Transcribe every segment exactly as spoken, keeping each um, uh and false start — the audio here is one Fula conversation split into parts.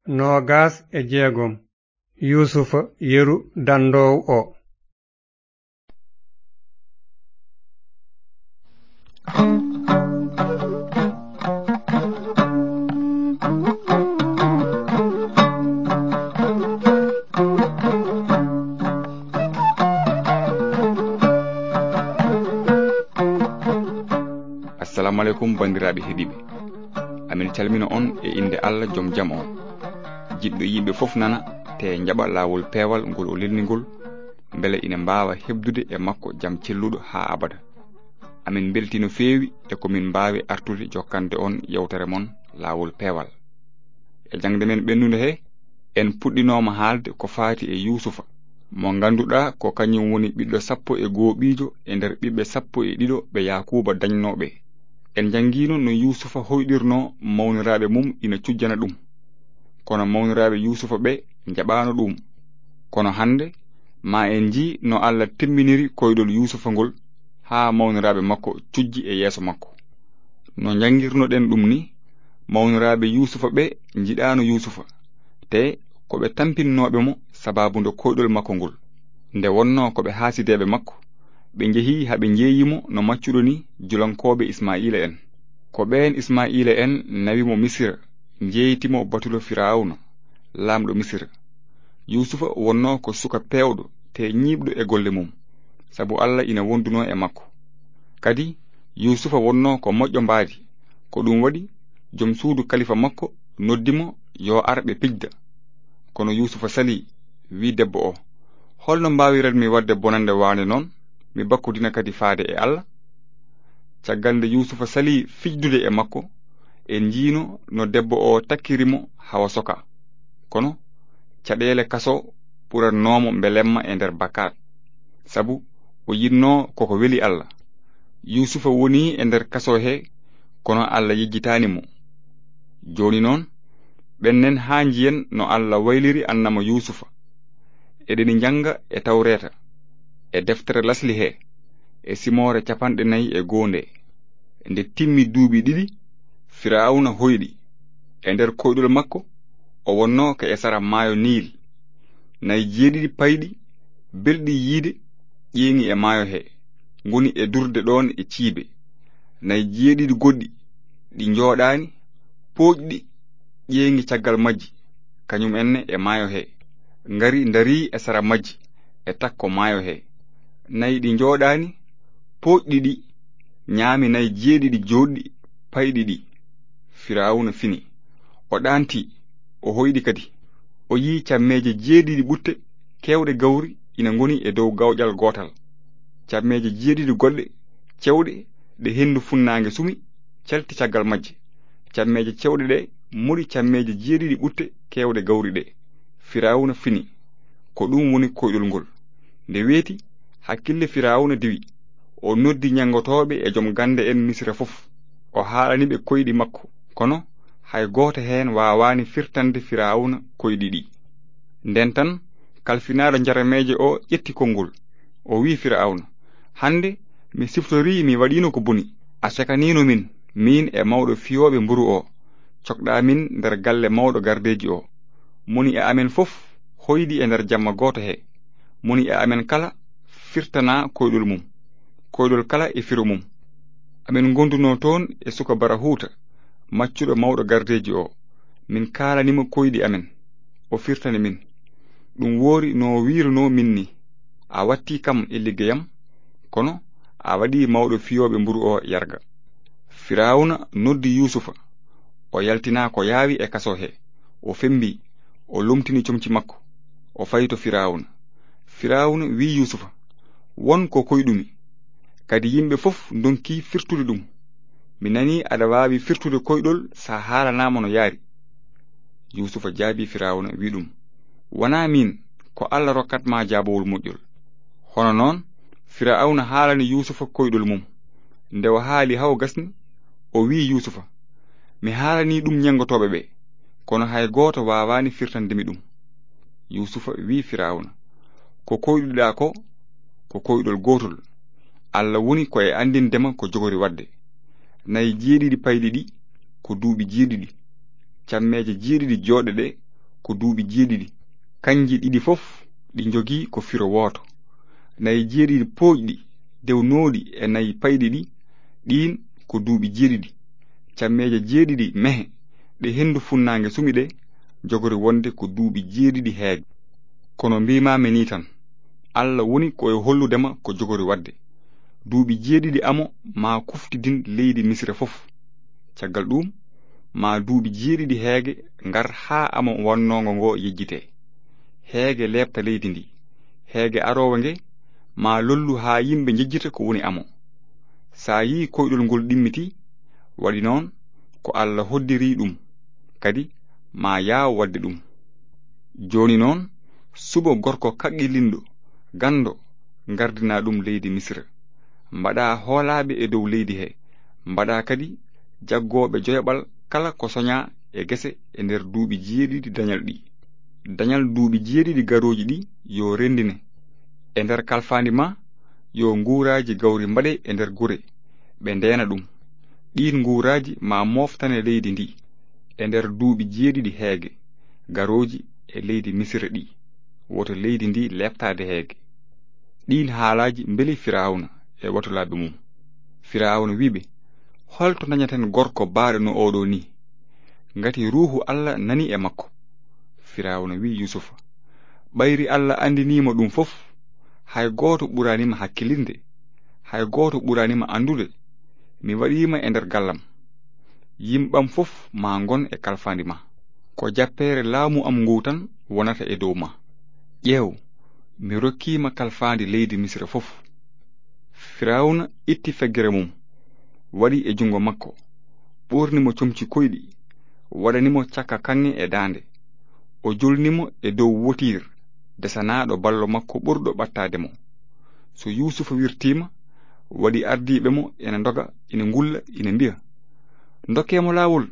noogaas e jeegom. Yuusufa yeru danndoowo o. Assalamu aleykum, banndiraaɓe heɗiiɓe. Amin calmina on e innde Allah, jom jam on. Jiɗɗo yimɓe fof nana, te njaɓa laawol peewal ngol o lelni ngol, mbele ina mbaawa heɓdude e makko jam celluɗo haa abada. Amin mbeltii no feewi e ko min mbaawi artude jokkande on yewtere mon laawol peewal. E jaŋde men ɓennunde he, en puɗɗinooma haalde ko faati e Yuusufa, mo ngannduɗaa ko kañum woni ɓiɗɗo sappo e goo ɓiijo e nder ɓiɓɓe sappo e ɗiɗo ɓe Yaakuuba dañnoo ɓe. En njanngiino no Yuusufa hoyɗirnoo mawniraaɓe mum ina cujjana ɗum. Kono mawniraaɓe Yuusufa ɓe njaɓaano ɗum. Kono hannde, ma en njii no Allah timminiri koyɗol Yuusufa ngol haa mawniraaɓe makko cujji e yeeso makko. No njanngirnoɗen ɗum ni, mawniraaɓe Yuusufa ɓe njiɗaano Yuusufa, te ko ɓe tampinnooɓe mo sabaabu nde koyɗol makko ngol. Nde wonnoo ko ɓe haasideeɓe makko, ɓe njehi haa ɓe njeeyi mo no maccuɗo ni julankooɓe Ismaa'iila en. Ko ɓeen Ismaa'iila en nawi mo Misira, njeeyti mo batulo Firawna, laamɗo Misira. Yuusufa wonnoo ko suka peewɗo te ñiiɓɗo e golle mum, sabu Allah ina wondunoo e makko. Kadi, Yuusufa wonnoo ko moƴƴo mbaadi, ko ɗum waɗi jom suudu kalifa makko noddi mo yo ar ɓe pijda. Kono Yuusufa salii, wii debbo o, "Holno mbaawiranmi waɗde bonannde waande noon, mi bakkodina kadi faade e Allah?" Caggal nde Yuusufa salii fijdude e makko, en njiino no debbo o takkiri mo hawa soka. Kono caɗeele kaso ɓurannoo mo mbelemma e nder bakkaat, sabu o yiɗnoo koko weli Allah. Yuusufa woni e nder kaso he, kono Allah yejjitaani mo. Jooni noon, ɓennen haa njiyen no Allah wayliri annama Yuusufa. Eɗeni njannga e Tawreeta, e deftere lasli he, e simoore capanɗe nayi e goo nde. Nde timmi duuɓi ɗiɗi, Firawna hoyɗi. E nder koyɗol makko, o wonnoo ko e sara maayo Niil. Nayi jeeɗiɗi payɗi, belɗi yiide, ƴeeŋi e maayo he, ngoni e durde ɗoon e ciibe. Nayi jeeɗiɗi goɗɗi, ɗi njooɗaani, pooƴɗi, ƴeeŋi caggal majji, kañum enne e maayo he, ngari ndarii e sara majji, e takko maayo he. Nayi ɗi njooɗaani, pooƴɗi ɗi, ñaami nayi jeeɗiɗi jooɗɗi payɗi ɗi. Firawna fini. O ɗaanti, o hoyɗi kadi. O yii cammeeje jeeɗiɗi ɓutte keewɗe gawri ina ngoni e dow gawƴal gootal. Cammeeje jeeɗiɗi goɗɗe cewɗe ɗe henndu funnaange sumi, calti caggal majje. Cammeeje cewɗe ɗe moɗi cammeeje jeeɗiɗi ɓutte keewɗe gawri ɗe. Firawna fini. Ko ɗum woni koyɗol ngol. Nde weeti, hakkille Firawna diwi. O noddi ñanngotooɓe e jom gannde en Misira fof. O haalani ɓe koyɗi makko, kono hay gooto heen waawaani firtande Firawna koyɗi ɗi. Nden tan, kalfinaaɗo njarameeje o ƴetti konngol. O wi'i Firawna, "Hannde mi siftorii mi waɗiino ko boni. A cekaniino min, miin e mawɗo fiyooɓe mburu o. Cokɗaa min nder galle mawɗo gardeeji o. Moni e amen fof hoydi e nder jamma gooto he. Moni e amen kala firtanaa koyɗol mum. Koyɗol kala e firo mum. Amen ngondunoo toon e suka Barahuuta, maccuɗo mawɗo gardeeji o. Min kaalani mo koyɗi amen. O firtani min. Ɗum woori no wiirunoo min ni. A wattii kam e liggeyam, kono a waɗii mawɗo fiyooɓe mburu o yarga." Firawna noddi Yuusufa. O yaltinaa ko yaawi e kaso he. O fembii, o lomtini comci makko. O fayi to Firawna. Firawna wi'i Yuusufa, "Won ko koyɗumi. Kadi yimɓe fof ndonkii firtude ɗum. Mi nanii aɗa waawi firtude koyɗol so a haalanaama no yaari." Yuusufa jaabii Firawna, wi'i ɗum, "Wanaa miin, ko Allah rokkat ma jaabawol moƴƴol." Hono noon, Firawna haalani Yuusufa koyɗol mum. Nde o haali haa o gasni, o wi'i Yuusufa, "Mi haalanii ɗum ñenngotooɓe ɓe, kono hay gooto waawaani firtande mi ɗum." Yuusufa wi'i Firawna, "Ko koyɗuɗaa ko, ko koyɗol gootol. Allah woni ko e anndinde ma ko jogori waɗde. Nayi jeeɗiɗi payɗi ɗi, ko duuɓi jeeɗiɗi. Cammeeje jeeɗiɗi jooɗɗe ɗe, ko duuɓi jeeɗiɗi. Kanji ɗiɗi fof ɗi njogii ko firo wooto. Nayi jeeɗiɗi pooƴɗi, dewnooɗi e nayi payɗi ɗi, ɗiin ko duuɓi jeeɗiɗi. Cammeeje jeeɗiɗi mehe, ɗe henndu funnaange sumi ɗe, jogori wonde ko duuɓi jeeɗiɗi heege. Kono mbiimaami nii tan, Alla woni ko e hollude ma ko jogori waɗde. Duuɓi jeeɗiɗi amo maa kuftidin leydi Misira fof. Caggal ɗuum, maa duuɓi jeeɗiɗi heege ngar haa amo wonnoongo ngo yejjitee. Heege leeɓta leydi ndi. Heege aroowo nge, maa lollu haa yimɓe njejjita ko woni amo. So a yii koyɗol ngol ɗimmitii, waɗi noon ko Alla hoddiri ɗum, kadi maa yaaw waɗde ɗum. Jooni noon, suɓo gorko kaqqillinɗo, ganndo, ngardinaa ɗum leydi Misira. Mbaɗaa hoolaaɓe e dow leydi he, mbaɗaa kadi jaggooɓe joyaɓal kala ko soñaa e gese e nder duuɓi jeeɗiɗi dañal ɗi. Dañal duuɓi jeeɗiɗi garooji ɗi yo renndine. E nder kalfaandi ma, yo nguuraaji gawri mbaɗe e nder gure, ɓe ndeena ɗum. Ɗiin nguuraaji ma mooftane leydi ndi e nder duuɓi jeeɗiɗi heege garooji e leydi Misira ɗi, woto leydi ndi leeptaade heege. Ɗiin haalaaji mbeli Firawna e watulaaɓe mum. Firawna wi'i ɓe, "Holto ndañaten gorko baaɗo no oɗo ni? Ngati Ruuhu Alla nani e makko." Firawna wi'i Yuusufa, "Ɓayri Alla anndinii mo ɗum fof, hay gooto ɓuraani ma hakkilinde, hay gooto ɓuraani ma anndude. Mi waɗii ma e nder gallam. Yimɓam fof maa ngon e kalfaandi ma. Ko jappeere laamu am ngu tan wonata e dow ma. Ƴeew, mi rokkii ma kalfaandi leydi Misira fof." Firawna itti feggere mum, waɗi e junngo makko, ɓoorni mo comci koyɗi, waɗani mo cakka kaŋŋe e daande. O jolni mo e dow wotiir desanaaɗo ballo makko ɓurɗo ɓattaade mo. So Yuusufa wirtiima, waɗi ardiiɓe mo ina ndoga, ina ngulla, ina mbiya, "Ndokkee mo laawol."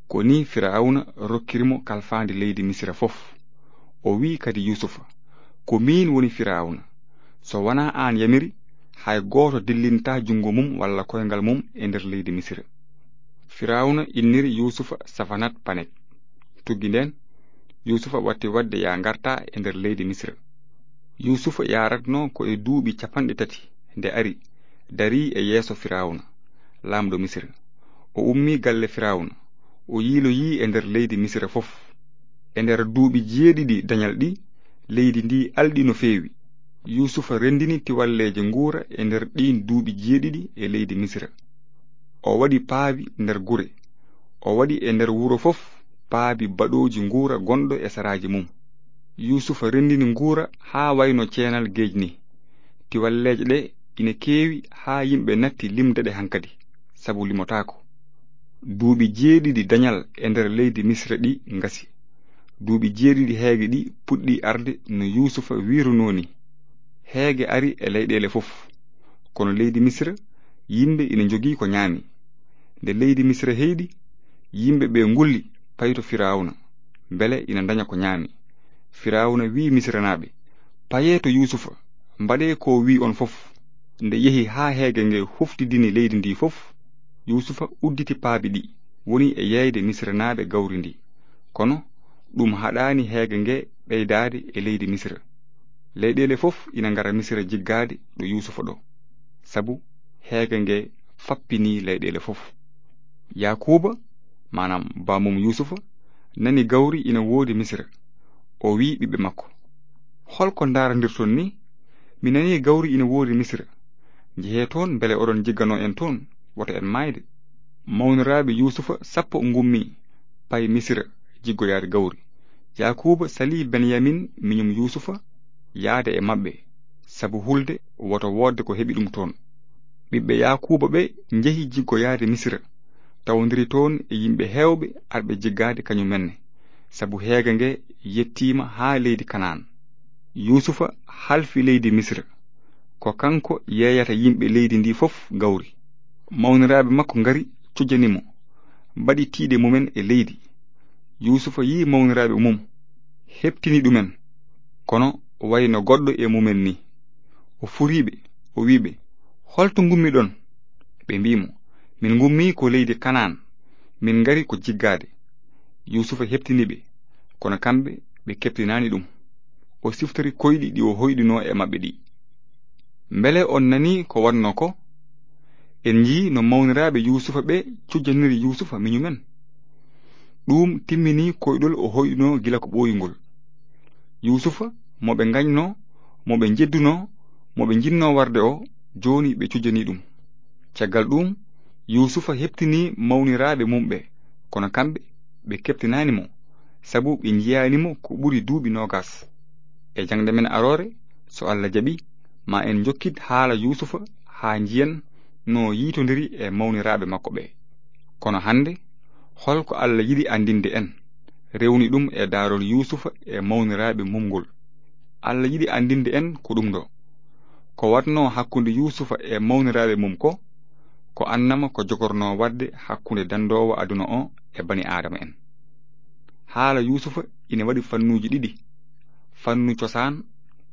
Ko nii Firawna rokkiri mo kalfaandi leydi Misira fof. O wi'i kadi Yuusufa, "Ko miin woni Firawna. So wanaa aan yamiri, hay gooto dillintaa junngo mum walla koyngal mum e nder leydi Misira." Firawna inniri Yuusufa Safanat Panek. Tuggi ndeen, Yuusufa watti waɗde ya ngarta e nder leydi Misira. Yuusufa yaratno ko e duuɓi capanɗe tati nde ari, darii e yeeso Firawna, laamɗo Misira. O ummii galle Firawna, o yiiloyii e nder leydi Misira fof. E nder duuɓi jeeɗiɗi dañal ɗi, leydi ndi alɗi no feewi. Yuusufa renndini tiwalleeje nguura e nder ɗiin duuɓi jeeɗiɗi e leydi Misira. O waɗi paabi nder gure. O waɗi e nder wuro fof paabi baɗooji nguura gonɗo e saraaji mum. Yuusufa renndini nguura haa wayno ceenal geej ni. Tiwalleeje ɗe ina keewi haa yimɓe natti limde ɗe hankadi, sabu limotaako. Duuɓi jeeɗiɗi dañal e nder leydi Misira ɗi ngasi. Duuɓi jeeɗiɗi heege ɗi puɗɗi arde no Yuusufa wiirunoo ni. Heege ari e leyɗeele fof. Kono leydi Misira, yimɓe ina njogii ko ñaami. Nde leydi Misira heyɗi, yimɓe ɓe ngulli payi to Firawna, mbele ina ndaña ko ñaami. Firawna wi'i Misiranaaɓe, "Payee to Yuusufa, mbaɗee ko wi'i on fof." Nde yehi haa heege nge huftidini leydi ndi fof, Yuusufa udditi paabi ɗi, woni e yeeyde Misiranaaɓe gawri ndi. Kono ɗum haɗaani heege nge ɓeydaade e leydi Misira. Leyɗeele fof ina ngara Misira jiggaade ɗo Yuusufa ɗo, sabu heege nge fappinii leyɗeele fof. Yaakuuba, maanaam baamum Yuusufa, nani gawri ina woodi Misira. O wi'i ɓiɓɓe makko, "Hol ko ndaarondirton ni? Mi nanii gawri ina woodi Misira. Njehee toon mbele oɗon jigganoo en toon, wota en maayde." Mawniraaɓe Yuusufa sappo ngummii, payi Misira jiggoyaade gawri. Yaakuuba salii Benyamin miñum Yuusufa yaade e maɓɓe, sabu hulde woto woodde ko heɓi ɗum toon. Ɓiɓɓe Yaakuuba ɓe njehi jiggoyaade Misira, tawondiri toon e yimɓe heewɓe arɓe jiggaade kañumenne, sabu heege nge yettiima haa leydi Kanaan. Yuusufa halfi leydi Misira. Ko kanko yeeyata yimɓe leydi ndi fof gawri. Mawniraaɓe makko ngari cujjani mo, mbaɗi tiiɗe mumen e leydi. Yuusufa yii mawniraaɓe mum, heɓtini ɗumen, kono wayno goɗɗo e mumen ni. O furiiɓe, o wi'iɓe, "Holto ngummiɗon?" Ɓe mbi'i mo, "Min ngummii ko leydi Kanaan, min ngari ko jiggaade." Yuusufa heɓtini ɓe, kono kamɓe ɓe keɓtinaani ɗum. O siftori koyɗi ɗi o hoyɗunoo e maɓɓe ɗi. Mbele on nanii ko waɗnoo ko? En njii no mawniraaɓe Yuusufa ɓe cujjaniri Yuusufa miñumen. Ɗum timminii koyɗol o hoyɗunoo gila ko ɓooyungol. Yuusufa, mo ɓe ngañnoo, mo ɓe njeddunoo, mo ɓe njinnoo warde o, jooni ɓe cujjanii ɗum. Caggal ɗum, Yuusufa heɓtinii mawniraaɓe mum ɓe, kono kamɓe ɓe keɓtinaani mo, sabu ɓe njiyaani mo ko ɓuri duuɓi noogas. E jaŋde men aroore, so Alla jaɓi, ma en njokkit haala Yuusufa haa njiyen no yiitondiri e mawniraaɓe makko ɓe. Kono hannde, hol ko Alla yiɗi anndinde en, rewni ɗum e daarol Yuusufa e mawniraaɓe mum ngol? Alla yiɗi anndinde en ko ɗum ɗo. Ko waɗnoo hakkunde Yuusufa e mawniraaɓe mum ko, ko annama ko jogornoo waɗde hakkunde danndoowo aduna o e bani Aadama en. Haala Yuusufa ina waɗi fannuuji ɗiɗi, fannu cosaan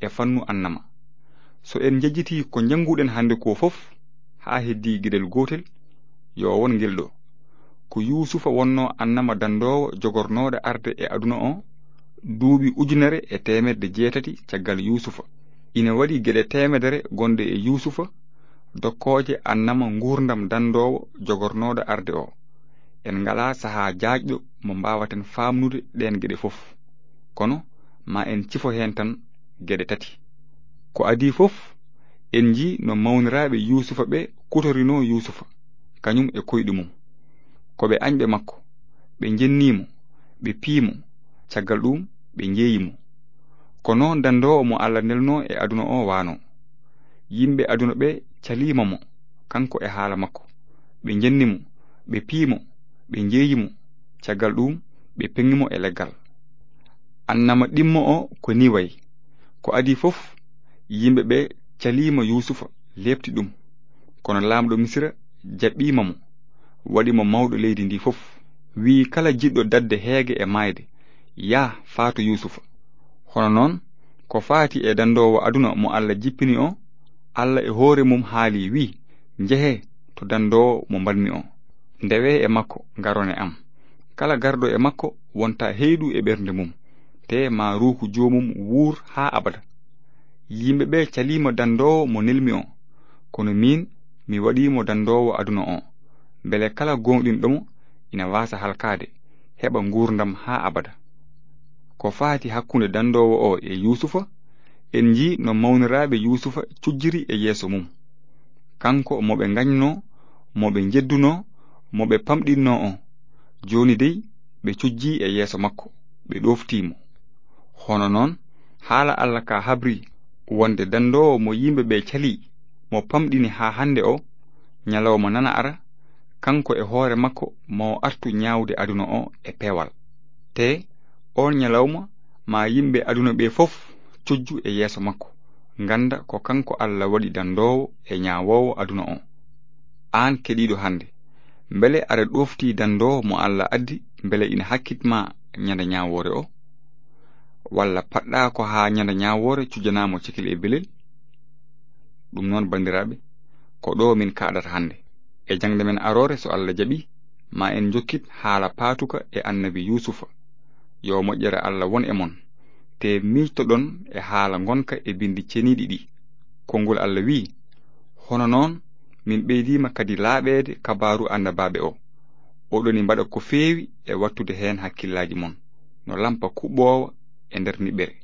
e fannu annama. So en njejjitii ko njannguɗen hannde ko fof, haa heddii geɗel gootel, yo won ngel ɗo. Ko Yuusufa wonnoo annama danndoowo jogornooɗo arde e aduna o, duuɓi ujunere e teemedde jeetati caggal Yuusufa. Ina waɗi geɗe teemedere gonɗe e Yuusufa, dokkooje annama nguurndam danndoowo jogornooɗo arde o. En ngalaa sahaa jaajɗo mo mbaawaten faamnude ɗeen geɗe fof. Kono, ma en cifo heen tan geɗe tati. Ko adii fof, en njii no mawniraaɓe Yuusufa ɓe kutorinoo Yuusufa, kañum e koyɗi mum. Ko ɓe añɓe makko, ɓe njennii mo, ɓe pii mo, caggal ɗum ɓe njeeyi mo. Ko noon danndoowo mo Alla nelnoo e aduna o waanoo. Yimɓe aduna ɓe caliima mo, kanko e haala makko. Ɓe njenni mo, ɓe pii mo, ɓe njeeyi mo, caggal ɗum ɓe peŋi mo e leggal. Annama ɗimmo o ko nii wayi. Ko adii fof, yimɓe ɓe caliima Yuusufa, leepti ɗum. Kono laamɗo Misira jaɓɓiima mo, waɗi mo mawɗo leydi ndi fof. Wi'i kala jiɗɗo daɗde heege e maayde, "Yah, faatu Yuusufa." Hono noon, ko faati e danndoowo aduna mo Alla jippini o, Alla e hoore mum haali, wi'i, "Njehee to danndoowo mo mbaɗmi o. Ndewee e makko, ngarone am." Kala garɗo e makko wonta heyɗu e ɓernde mum, te ma ruuhu joomum wuur haa abada. Yimɓe ɓe caliima danndoowo mo nelmi o, kono miin mi waɗii mo danndoowo aduna o, mbele kala gooŋɗinɗo mo ina waasa halkaade, heɓa nguurndam haa abada. Ko faati hakkunde danndoowo o e Yuusufa, en njii no mawniraaɓe Yuusufa cujjiri e yeeso mum. Kanko mo ɓe ngañnoo, mo ɓe njeddunoo, mo ɓe pamɗinnoo o, jooni dey ɓe cujjii e yeeso makko, ɓe ɗooftii mo. Hono noon, haala Alla ka habri wonde danndoowo mo yimɓe ɓe calii, mo pamɗini haa hannde o, ñalawma nana ara, kanko e hoore makko mo artu ñaawde aduna o e peewal. Te oon ñalawma ma yimɓe aduna ɓe fof cujju e yeeso makko, ngannda ko kanko Alla waɗi danndoowo e ñaawoowo aduna o. Aan keɗiiɗo hannde, mbele aɗa ɗooftii danndoowo mo Alla addi, mbele ina hakkit ma ñande ñaawoore o? Walla paɗɗaa ko haa ñande ñaawoore cujjanaa mo cekil e belel? Ɗum noon, banndiraaɓe, ko ɗo min kaaɗata hannde. E jaŋde men aroore, so Alla jaɓi, ma en njokkit haala paatuka e annabi Yuusufa. Yo moƴƴere Alla won e mon. Te miijtoɗon e haala ngonka e binndi ceniiɗi ɗi. Konngol Alla wi'i, "Hono noon, min ɓeydiima kadi laaɓeede kabaaru annabaaɓe o. Oɗoni mbaɗa ko feewi e wattude heen hakkillaaji mon, no lampa kuɓɓoowa e nder niɓɓere."